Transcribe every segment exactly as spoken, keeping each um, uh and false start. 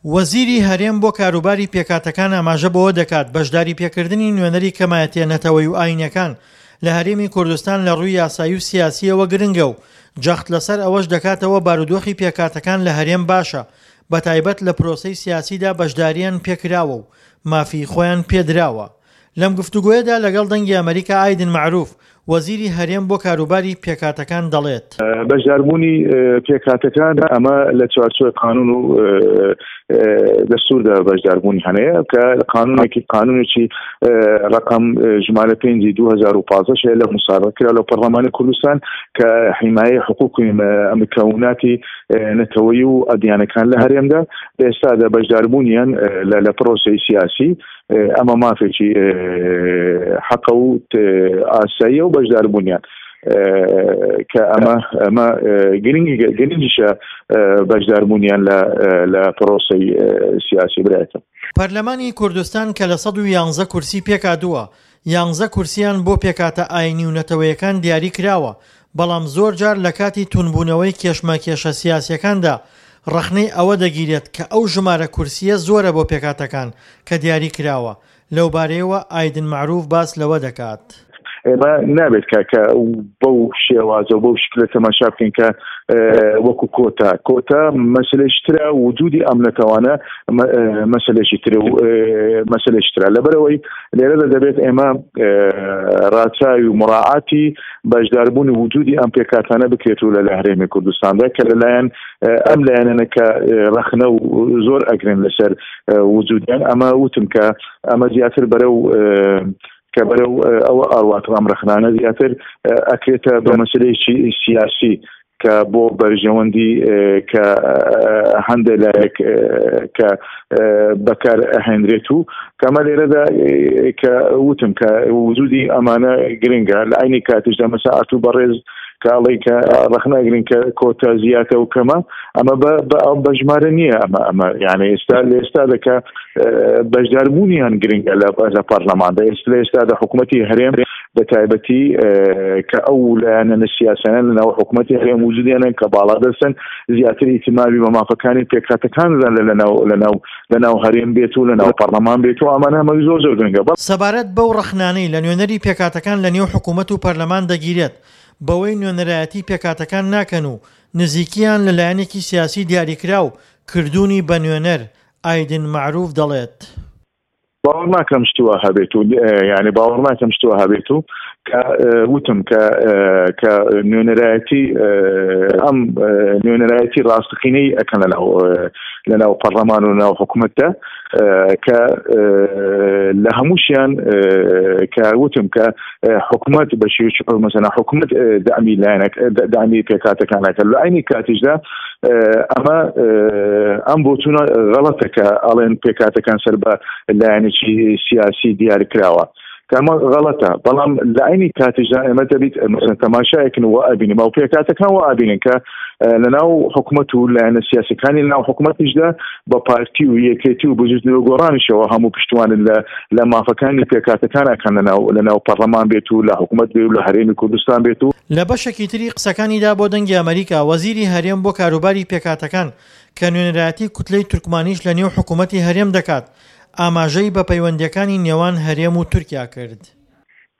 وەزیری هەرێم بۆ کاروباری پێکهاتەکان ئاماژە بەوە دەکات، بەشداری پێکردنی نوێنەری کەمایەتیە نەتەوەیی و ئایینیەکان لە هەرێمی کوردستان لە ڕووی یاسایی و سیاسییەوە گرنگە و جەخت لەسەر ئەوەش دەکاتەوە بارودۆخی پێکهاتەکان لە هەرێم باشە، بەتایبەت لە پرۆسەی سیاسیدا بەشدارییان پێکراوە و مافی خۆیان پێدراوە. لەم گفتوگۆیەدا لەگەڵ دەنگی ئەمەریکا ئایدن مەعروف، وەزیری هەرێم بۆ کاروباری پێکهاتەکان دەڵێت، بەشداربوونی پێکهاتەکان ئەمە لە چوارچێوەی قانون و دەستوردا بەشداربوونی هەیە کە قانونێکی قانونێکی ڕقم ژمارە پێنجی دوو هەزار و پازدە هەیە لە مسابقە کرا لە پەرلەمانی کوردستان کە حیمایەی حقوقی مکوناتی نەتەوەیی و ئەدیانەکان لە هەرێمدا ئێستادا بەشداربوونیان لە پرۆسەی سیاسی ئەمە مافێکی حەقە و ئاساییە و بەشداربوونیان کە ئەمە ئەمە گرنگی گرنگیشە بەشداربوونیان لە لە پرۆسەی سیاسی برایەتە. پەرلەمانی کوردستان کە لە سەد و یانزە کورسی پێکهاتووە، یانزە کورسیان بۆ پێکهاتە ئاینی و نەتەوەیەکان دیاری کراوە، بەڵام زۆرجار لە کاتی توندبوونەوەی کێشمەکێشە سیاسیەکاندا ڕەخنەی ئەوە دەگیرێت کە ئەو ژمارە کورسیە زۆرە بۆ پێکهاتەکان کە دیاری کراوە. لەوبارەیەوە ئایدن مەعروف باس لەوە دەکات. ئێمە نابێت کە کە بەو شێوازە و بەو شکلە تەماشا بکەین کە وەکو کۆتا کۆتا مەسلەیەکی ترە، وجودی ئەم نەتەوانە مەسلەیەکی ترە و مەسلەیەکی ترە. لەبەرەوەی لێرەدا دەبێت ئێمە ڕاچاوی و مراعاتی بەشداربوونی وجودی ئەم پێکهاتانە بکرێت و لە لە هەرێمی کوردستاندا کە لەلایەن ئەم لایەنانە کە ڕەخنە و زۆر ئەگرن لەسەر وجودیان، ئەمە وتم کە ئەمە زیاتر بەرەو کە بەرەو ئەوە ئاواتە ئەم ڕەخنانە زیاتر ئەکرێتە بە مەسلەیەکی سیاسی کە بۆ بەرژەوەندی کە هەندێک لایەک کە بەکار ئەهێنرێت و کەمە لێرەدا کە وتم کە وجودی ئەمانە گرنگە. لە عینی کاتیشدا مەسا ئەتوو بەڕێز کە ئەڵێی کە ڕەخنە ئەگرین کە کۆتا زیاتە و کەمە، ئەمە بە ژمارە نییە. ئەمە ئەمە یعنی ئێستا لە ئێستادا کە بەشداربوونیان گرنگە لە پەرلەماندا، ئێستا لە ئێستادا حکوومەتی هەرێم بە تایبەتی کە ئەو لایەنە سیاسیانە لەناو حکوومەتی هەرێم وجودیانن کە باڵادەستن زیاتر ئیتمامی بە مافەکانی پێکهاتەکان لەناو لەناو لەناو هەرێم بێت و لەناو پەرلەمان بێت و ئەمانە هەمووی زۆر زۆر گرنگە. سەبارەت بەو ڕەخنانەی لە نوێنەری پێکهاتەکان لە نێو حکوومەت و پەرلەمان دەگیرێت بەوەی نوێنەرایەتی پێکهاتەکان ناکەن و نزیکیان لە لایەنێکی سیاسی دیاریکراو کردوونی بە نوێنەر، ئایدن مەعروف دەڵێت، باوەڕ ناکەم شتی وا هەبێت و یعنی باوەڕ ناکەم شتی وا هەبێت و کە وتم کە کە نوێنەرایەتی ئەم نوێنەرایەتی ڕاستەقینەی ئەکەن لەناو لەناو پەرلەمان و ناو حکوومەتدا کە لە هەمووشیان کە وتم کە حکوومەت بە شێوەیەکی مەسەلەن حکوومەت دەعمی لایەنەک دەعمی پێکهاتەکانەکە. لە عینی کاتیشدا ئەمە ئەم بۆچوونە غەڵەتە کە ئەڵێن پێکهاتەکان سەر بە لایەنێکی سیاسی دیار کراوە، کەمە غەڵەتە. بەڵام لە عینی کاتیشدا ئێمە دەبیت مەسەلەن تەماشایەکن و ئەبینین ئەو پێکهاتەکان و ئەبینن کە لەناو حکوومەت و لایەنە سیاسەکانی لەناو حکوومەتیشدا بە پارتی و یەکێتی و بزووتنەوە گۆڕانیشەوە هەموو پشتوانن لە لە مافەکانی پێکهاتەکان ئەکەن لەناو لەناو پەرلەمان بێت و لە حکوومەت بێت و لە هەرێمی کوردستان بێت و لە بەشێکی تری قسەکانیدا بۆ دەنگی ئەمەریکا، وەزیری هەرێم بۆ کاروباری پێکهاتەکان کە نوێنەرایەتی کوتلەی تورکمانیش لە نێو حکوومەتی هەرێم دەکات، ئاماژەی بە پەیوەندیەکانی نێوان هەرێم و تورکیا کرد.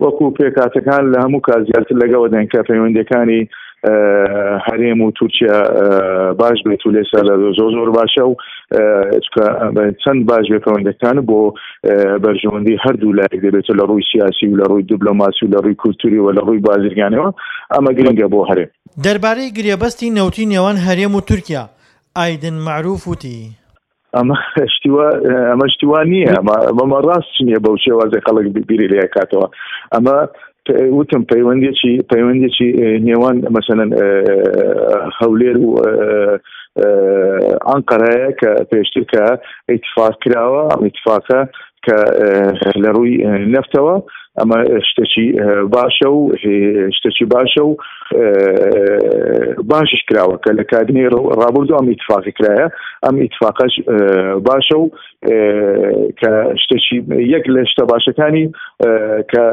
وەکو پێکهاتەکان لە هەموو کات زیاتر لەگەڵ دێن کە پەیوەندیەکانی هەرێم و تورکیا باش بێت و لێستا لە زۆر زۆر باشە و چەند باش بێت پەیوەندیەکان بۆ بەرژەوەندی هەردوو لایەک دەبێت لە ڕووی سیاسی و لە ڕووی دیبلۆماسی و لە ڕووی کولتوری و لە ڕووی بازرگانیەوە. ئەمە گرنگە بۆ هەرێم. دەربارەی گرێبەستی نەوتی نێوان هەرێم و تورکیا، ئایدن مەعروف وتی، ئەمە شتیوا ئەمە شتیوا نییە، ئەمە ئەمە ڕاست نییە بەو شێوازی خەڵک بیری لێ کاتەوە. ئەمە وتم پەیوەندیەکی پەیوەندیەکی نێوان مەسەلەن هەولێر و ئەنقەرەیە کە پێشتر کە ئیتفاق کراوە، ئەم ئیتفاقە کە لە ڕووی نەفتەوە ئەمە شتێکی باشە و شتێکی باشە و باشش کراوە کە لە کابینەی ڕابردوو ئەم ئیتفاقی کرایە، ئەم ئیتفاقەش باشە و کە شتێکی یەک لە شتە باشەکانی کە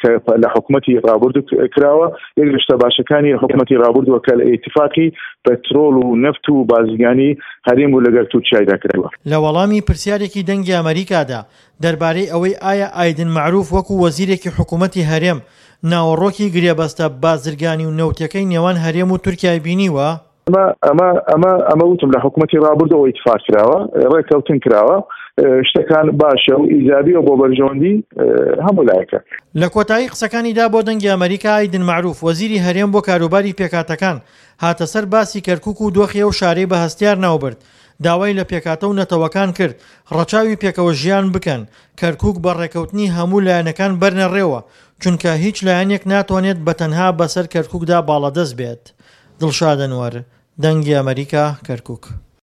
کە لە حکوومەتی ڕابردوو کراوە، یەک لە شتە باشەکانی حکوومەتی ڕابردووە کە لە ئیتفاقی پەترۆل و نەفت و بازرگانی هەرێم و لەگەر تورکیایدا کراوە. لە وەڵامی پرسیارێکی دەنگی ئەمریکادا دەربارەی ئەوەی ئایا ئایدن مەعروف وەکو وەزیرێکی حکوومەتی هەرێم ناوەڕۆکی گرێبەستە بازرگانی و نەوتەکەی نێوان هەرێم و تورکیای بینیوە؟ ئەمە ئەمە ئەمە ئەمە وتم لە حکوومەتی ڕابردووەوە ئیتفاق کراوە، ڕێککەوتن کراوە، شتەکان باشە و ئیجابیە بۆ بەرژەوەندی هەموو لایەکە. لە کۆتایی قسەکانیدا بۆ دەنگی ئەمریکا ئایدن مەعروف وەزیری هەرێم بۆ کاروباری پێکهاتەکان هاتە سەر باسی کەرکوک و دۆخی ئەو شارەی بە هەستیار ناوبرد، داوای لە پێکهاتە و نەتەوەکان کرد ڕەچاوی پێکەوە ژیان بکەن، کەرکوک بە ڕێکەوتنی هەموو لایەنەکان بەرنەڕێوە، چونکە هیچ لایەنێک ناتوانێت بە تەنها بەسەر کەرکوکدا باڵادەست بێت. دڵشاد ئەنوەر، دەنگی ئەمریکا، کەرکوک.